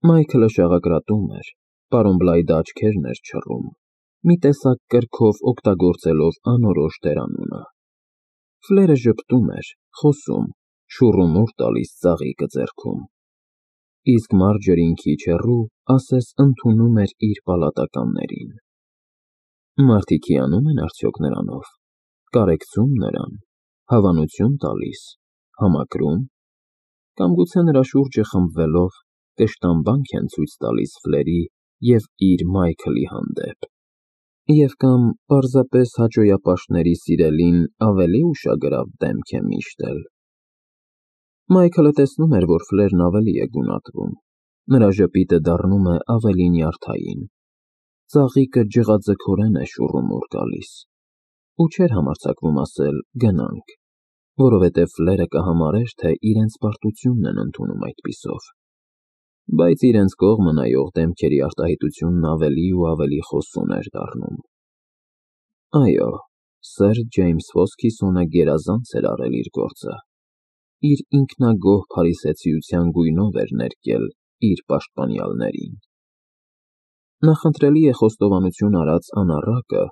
Մայքլը շաղակրատում էր, պարոն Բլայդը աչքերն էր չռում, մի տեսակ կրքով օգտագործելով անորոշ դերանունը։ Ֆլերը ժպտում էր, խոսում, շուռումուռ տալիս ծաղիկը ձեռքում։ Իսկ Մարջերին քիչ հեռու ասես ընդունում էր իր պալատականներին։ Մարդիկ հիանում են արդյոք նրանով, կարեկցում նրան, հավանություն տալիս, համակրում, կամ գուցե նրա շուրջը խմբվելով կշտամբանք են ցույց տալիս Ֆլերի և իր Մայքլի հանդեպ, և կամ պարզապես հաճոյապաշտների սիրելին ավելի ուշագրավ դեմք է միշտել։ Մայքլը տեսնում էր, որ Ֆլերն ավելի է գունատվում, նրա ժպիտը դառնում է ավելի նյարդային, ծաղիկը ջղաձգորեն է շուռումուռ գալիս, ու չէր համարձակվում ասել «գնանք», որովհետև Ֆլերը կհամարեր, թե իրենց պարտությունն են ընդունում այդպիսով, բայց իրենց կողմը նայող դեմքերի արտահայտությունն ավելի ու ավելի խոսուն էր դառնում։ Այո, սըր Ջեյմս Հոսքիսոնը գերազանց էր արել իր գործը, իր ինքնագոհ փարիսեցիության գույնով էր ներկել իր պաշտպանյալներին։ Նախընտրելի է խոստովանություն արած անառակը,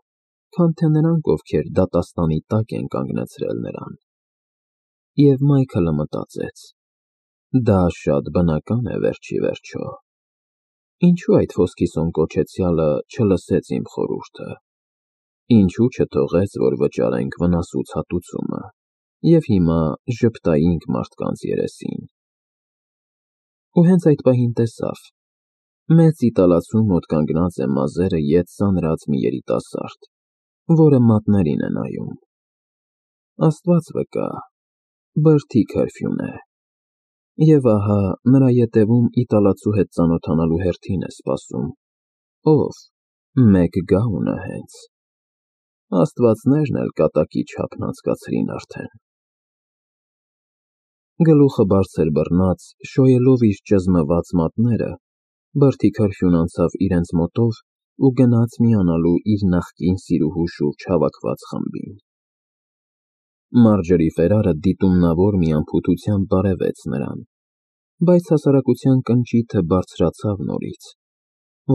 քան թե նրանք, ովքեր դատաստանի տակ են կանգնեցրել նրան։ Եվ Մայքլը մտածեց. դա շատ բնական է վերջ ի վերջո։ Ինչու այդ Հոսքիսոն կոչեցյալը չլսեց իմ խորհուրդը, ինչու չթողեց, որ վճարենք վնասուց հատուցումը, և հիմա ժպտայինք մարդկանց երեսին։ Ու հենց այդ պահին տեսավ. մեծ իտալացու մոտ կանգնած է մազերը ետ ծանրած մի երիտասարդ, որը մատներին է նայում։ Աստված վկա, բրդի քրֆյուն է։ Եվ ահա նրա ետևում իտալացու հետ ծանոթանալու հերթին է սպասում։ Ով։ Մեկ գաունը հենց։ Աստվածներն էլ կատակի չափն անցկացրին արդեն։ Գլուխը բարձր բռնած, շոյելով իր ճզմված մատները, բրդի քրֆյուն անցավ իրենց մոտով ու գնաց միանալու իր նախկին սիրուհու շուրջ հավաքված խմբին։ Մարջերի Ֆերարը դիտումնավոր մի անփութությամբ բարևեց նրան, բայց հասարակության կնճիթը բարձրացավ նորից,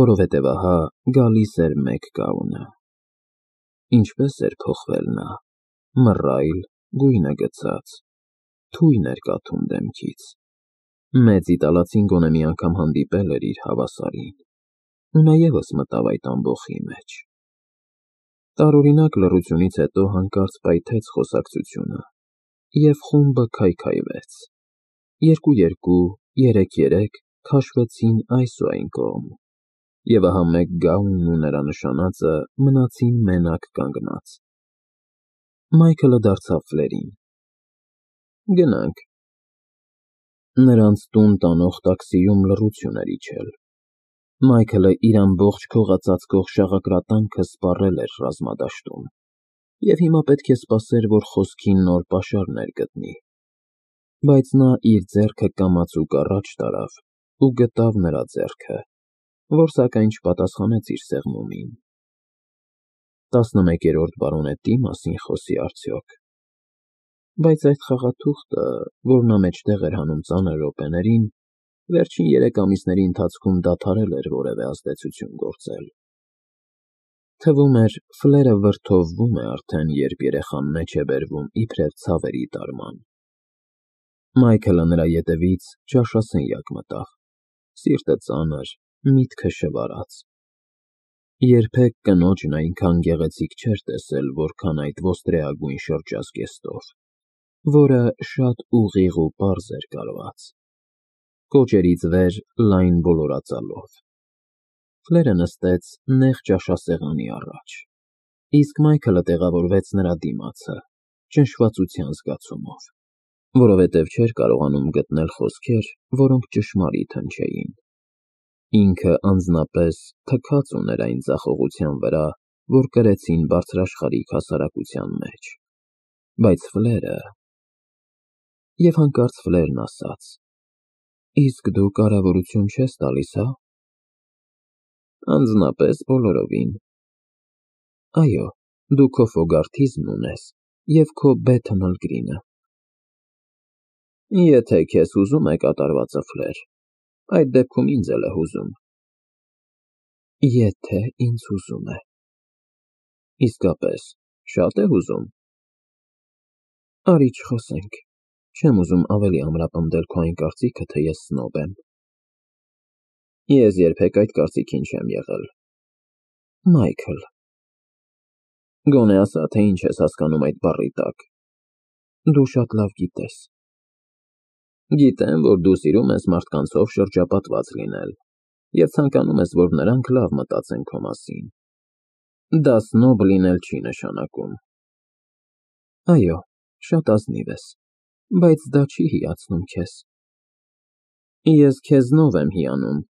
որովհետև ահա գալիս էր մեկ գաունը։ Ինչպես էր փոխվել նա, մռայլ, գույնը գցած, թույն էր կաթում դեմքից։ Մեծ իտալացին գոնե մի անգամ հանդիպել էր իր հավասարին, ու նա ևս մտավ այդ ամբոխի մեջ։ Տարօրինակ լռությունից հետո հանկարծ պայթեց խոսակցությունը, և խումբը քայքայվեց։ Երկու, երեք քաշվեցին այս ու այն կողմ, և ահա մեկ գաունն ու նրա նշանածը մնացին մենակ կանգնած։ Մայքլը դարձավ Ֆլերին. Գնանք։ Նրանց տուն տանող տաքսիում լռություն էր իջել։ Մայքլը իր ամբողջ քողածածկող շաղակրատանքը սպառել էր ռազմադաշտում, և հիմա պետք է սպասեր, որ խոսքին նոր պաշարներ գտնի։ Բայց նա իր ձեռքը կամացուկ առաջ տարավ ու գտավ նրա ձեռքը, որ սակայն չպատասխանեց իր սեղմումին։ 11-րդ բարոնետի մասին խոսի արդյոք։ Բայց այդ խաղաթուղթը, որ նա մեջտեղ էր հանում ծանր րոպեներին, վերջին 3 ամիսների ընթացքում դադարել էր որևէ ազդեցություն գործել։ Թվում էր, Ֆլերը վրդովվում է արդեն, երբ երեխան մեջ է բերվում իբրև ցավերի տարման։ Մայքլը նրա ետևից ճաշասենյակ մտավ, սիրտը ծանր, միտքը շվարած։ Երբեք կնոջն այնքան գեղեցիկ չէր տեսել, որքան այդ ոստրեագույն շրջազգեստով, որը շատ ուղիղ ու պարզ էր կարված, կոճերից վեր լայն ոլորածալով։ Ֆլերը նստեց նեղ ճաշասեղանի առաջ, իսկ Մայքլը տեղավորվեց նրա դիմացը, ճնշվածության զգացումով, որովհետև չէր կարողանում գտնել խոսքեր, որոնք ճշմարիտ հնչեին։ Ինքը անձնապես թքած ուներ այն ձախողության վրա, որ կրեցին բարձրաշխարհիկ հասարակության մեջ։ Բայց Ֆլերը… Եվ հանկարծ Ֆլերն ասաց. Իսկ դու կարգավորություն չես տալիս, հա՞։ Անձնապես բոլորովին։ Այո, դու քո Ֆոգարթիզմն ունես և քո Բեթն Ալգրինը։ Եթե քեզ հուզում է կատարվածը, Ֆլեր, այդ դեպքում ինձ էլ է հուզում։ Եթե ինձ հուզում է։ Իսկապես, շատ է հուզում։ Արի չխոսենք։ Չեմ ուզում ավելի ամրապնդել քո այն կարծիքը, թե ես սնոբ եմ։ Ես երբեք այդ կարծիքին չեմ եղել։ Մայքլ։ Գոնե ասա, թե ինչ ես հասկանում այդ բառի տակ։ Դու շատ լավ գիտես։ Գիտեմ, որ դու սիրում ես մարդկանցով շրջապատված լինել և ցանկանում ես, որ նրանք լավ մտածեն քո մասին։ Դա սնոբ լինել չի նշանակում։ Այո, շատ ազնիվ ես, բայց դա չի հիացնում քեզ։ Ես քեզնով եմ հիանում։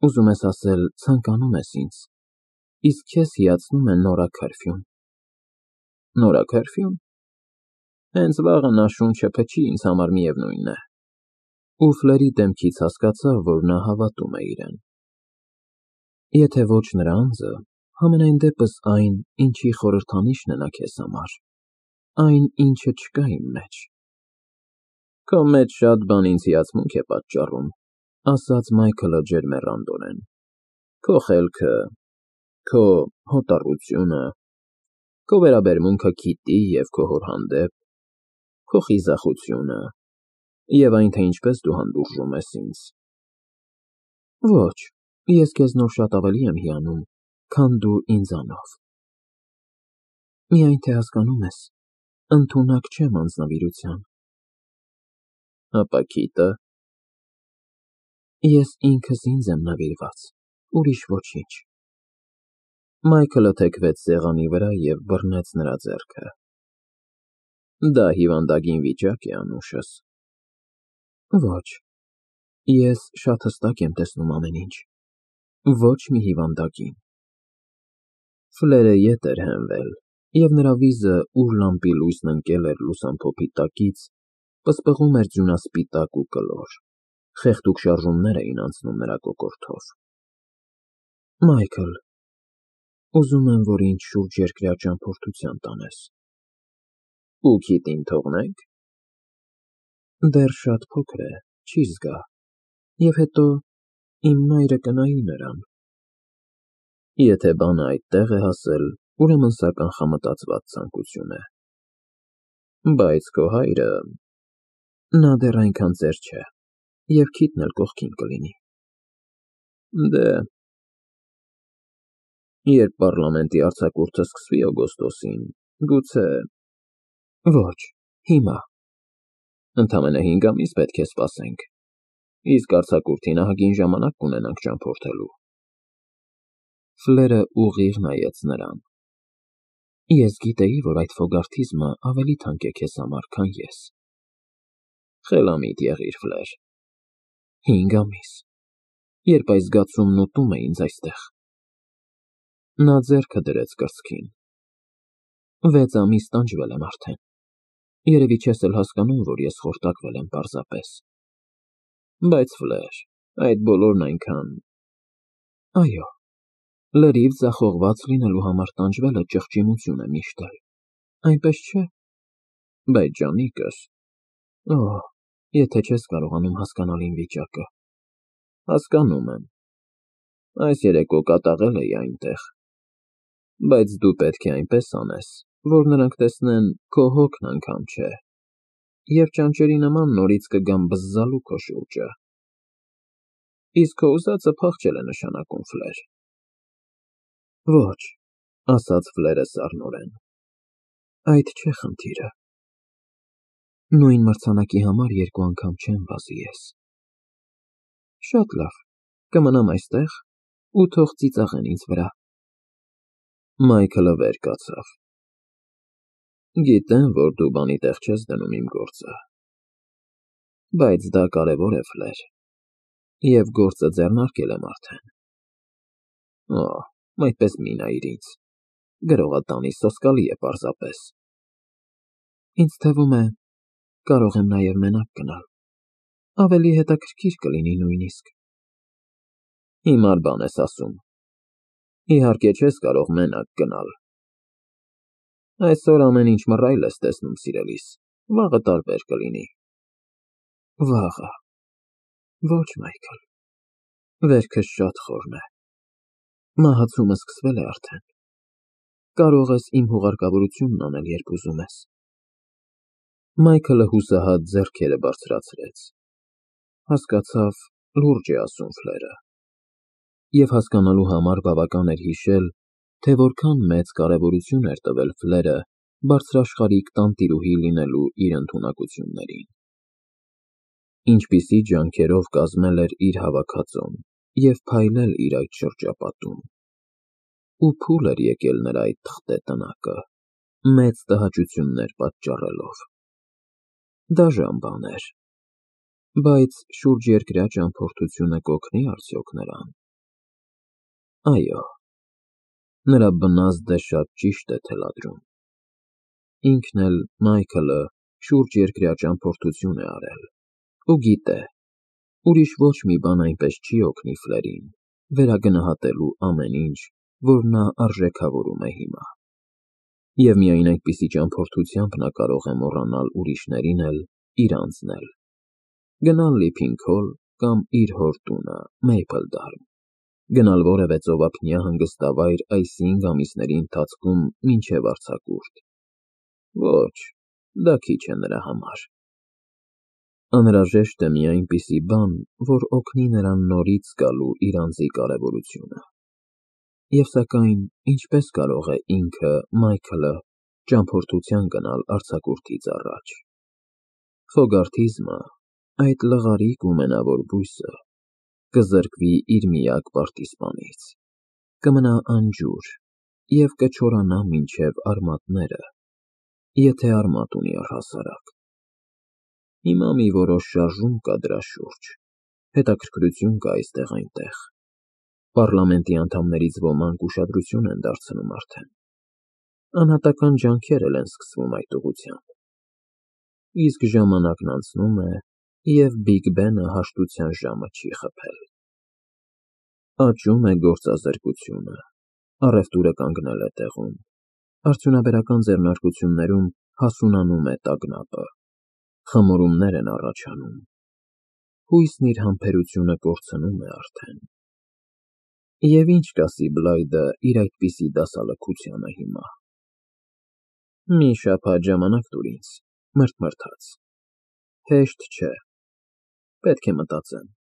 Ուզում ես ասել, ցանկանում ես ինձ, իսկ քեզ հիացնում է Նորա Քարֆյուն։ Նորա Քարֆյուն։ Հենց վաղը նա շունչը փչի, ինձ համար միևնույն է։ Ու Ֆլերի դեմքից հասկացա, որ նա հավատում է իրեն։ Եթե ոչ նրա անձը, համենայն դեպս այն, ինչի խորհրդանիշն է նա քեզ համար, այն, ինչը չկա իմ մեջ։ Քո մեջ շատ բան ինձ հիացմունք է պատճառում, ասաց Մայքլը ջերմեռանդորեն։ Քո խելքը, քո հոտառությունը, քո վերաբերմունքը Քիթի և քո հոր հանդեպ, քո խիզախությունը և այն, թե ինչպես դու հանդուրժում ես ինձ։ Ոչ, ես քեզնով շատ ավելի եմ հիանում, քան դու ինձանով։ Միայն թե հասկանում ես, ընդունակ չեմ անձնվիրության։ Ապա Քիթը։ Ես ինքս ինձ եմ նվիրված, ուրիշ ոչինչ։ Մայքլը թեքվեց սեղանի վրա և բռնեց նրա ձեռքը։ Դա հիվանդագին վիճակ է, անուշս։ Ոչ, ես շատ հստակ եմ տեսնում ամեն ինչ։ Ոչ մի հիվանդագին։ Ֆլերը ետ էր հենվել, և նրա վիզը, ուր լամպի լույսն ընկել էր լուսամփոփի տակից, պսպղում էր ձյունասպիտակ ու կլոր, խեղդուկ շարժումներ էին անցնում նրա կոկորդով։ Մայքլ, ուզում եմ, որ ինձ շուրջերկրյա ճամփորդության տանես։ Ու Քիթին թողնենք։ Դեռ շատ փոքր է, չի զգա, և հետո իմ մայրը կնայի նրան։ Եթե բանը այդտեղ է հասել, ուրեմն սա կանխամտածված ցանկություն է։ Բայց քո հայրը… Նա դեռ այնքան ծեր չէ, և Քիթն էլ կողքին կլինի։ Դե… Երբ պառլամենտի արձակուրդը սկսվի օգոստոսին, գուցե… Ոչ, հիմա։ Ընդամենը 5 ամիս պետք է սպասենք, իսկ արձակուրդին ահագին ժամանակ կունենանք ճամփորդելու։ Ֆլերը ուղիղ նայեց նրան։ Ես գիտեի, որ այդ ֆոգարթիզմը ավելի թանկ է քեզ համար, քան ես։ Խելամիտ եղիր, Ֆլեր։ 5 ամիս, երբ այս զգացումն ուտում է ինձ այստեղ։ Նա ձեռքը դրեց կրծքին։ 6 ամիս տանջվել եմ արդեն։ Երևի չես էլ հասկանում, որ ես խորտակվել եմ պարզապես։ Բայց Ֆլեր, այդ բոլորն այնքան… Այո, լրիվ ձախողված լինելու համար տանջվելը ճղճիմություն է միշտ էլ, այնպես չէ։ Բայց ջանիկս… Օհ, եթե չես կարողանում հասկանալ իմ վիճակը… Հասկանում եմ։ Այս երեկո կատաղել էի այնտեղ։ Բայց դու պետք է այնպես անես, որ նրանք տեսնեն քո հոգն անգամ չէ, և ճանճերի նման նորից կգան բզզալու քո շուրջը։ Իսկ քո ուզածը փախչել է նշանակում, Ֆլեր։ Ոչ, ասաց Ֆլերը սառնորեն։ Այդ չէ խնդիրը։ Նույն մրցանակի համար 2 անգամ չեմ վազի ես։ Շատ լավ, կմնամ այստեղ ու թող ծիծաղեն ինձ վրա։ Մայքլը վեր կացավ։ Գիտեմ, որ դու բանի տեղ չես դնում իմ գործը։ Բայց դա կարևոր է, Ֆլեր, և գործը ձեռնարկել եմ արդեն։ Օհ, այդպես մի նայիր ինձ, գրողատանի սոսկալի է պարզապես։ Ինձ թվում է, կարող եմ նաև մենակ գնալ։ Ավելի հետաքրքիր կլինի նույնիսկ։ Հիմար բան ես ասում։ Իհարկե չես կարող մենակ գնալ։ Այսօր ամեն ինչ մռայլ ես տեսնում, սիրելիս, վաղը տարբեր կլինի։ Վաղը։ Ոչ, Մայքլ, վերքս շատ խորն է։ Մահացումը սկսվել է արդեն։ Կարող ես իմ հուղարկավորությունն անել, երբ ուզում ես։ Մայքլը հուսահատ ձեռքերը բարձրացրեց։ Հասկացավ, լուրջ է ասում Ֆլերը։ Եվ հասկանալու համար բավական էր հիշել, թե որքան մեծ կարևորություն էր տվել Ֆլերը բարձրաշխարհիկ տանտիրուհի լինելու իր ընդունակություններին։ Ինչպիսի ջանքերով կազմել էր իր հավաքածուն և փայլել իր այդ շրջապատում։ Ու փուլ էր եկել նրա այդ թղթե տնակը, մեծ տհաճություններ պատճառելով։ Դաժան բան էր, բայց շուրջերկրյա ճամփորդությունը կօգնի արդյոք նրան։ Այո, նրա բնազդը շատ ճիշտ է թելադրում։ Ինքն էլ, Մայքլը, շուրջերկրյա ճամփորդություն է արել, ու գիտե, ուրիշ ոչ մի բան այնպես չի օգնի Ֆլերին վերագնահատելու ամեն ինչ, որ նա արժեքավորում է հիմա։ Եվ միայն այդպիսի ճամփորդությամբ նա կարող է մոռանալ ուրիշներին էլ, իր անձն էլ, գնալ Լիփինգ-Հոլ կամ իր հոր տունը Մեյփլդարմ, գնալ որևէ ծովափնյա հանգստավայր այս 5 ամիսների ընթացքում մինչև արձակուրդ։ Ոչ, դա քիչ է նրա համար։ Անհրաժեշտ է մի այնպիսի բան, որ օգնի նրան նորից զգալու իր անձի կարևորությունը։ Եվ սակայն, ինչպես կարող է ինքը, Մայքլը, ճամփորդության գնալ արձակուրդից առաջ։ Ֆոգարթիզմը, այդ լղարիկ ու մենավոր բույսը, կզրկվի իր միակ պարտիզպանից, կմնա անջուր և կչորանա մինչև արմատները, եթե արմատ ունի առհասարակ։ Հիմա մի որոշ շարժում կա դրա շուրջ, հետաքրքրություն կա այստեղ-այնտեղ։ Պառլամենտի անդամներից ոմանք ուշադրություն են դարձնում արդեն։ Անհատական ջանքեր էլ են սկսվում այդ ուղղությամբ։ Իսկ ժամանակն անցնում է, և Բիգ Բենը հաշտության ժամը չի խփել։ Աճում է գործազրկությունը, առևտուրը կանգնել է տեղում, արդյունաբերական ձեռնարկություններում հասունանում է տագնապը, խմորումներ են առաջանում, հույսն իր համբերությունը կորցնում է արդեն։ Եվ ինչ կասի Բլայդը իր այդպիսի դասալքությանը հիմա։ Մի շաբաթ ժամանակ տուր ինձ, մրթմրթաց։ Հեշտ չէ, պետք է մտածեմ։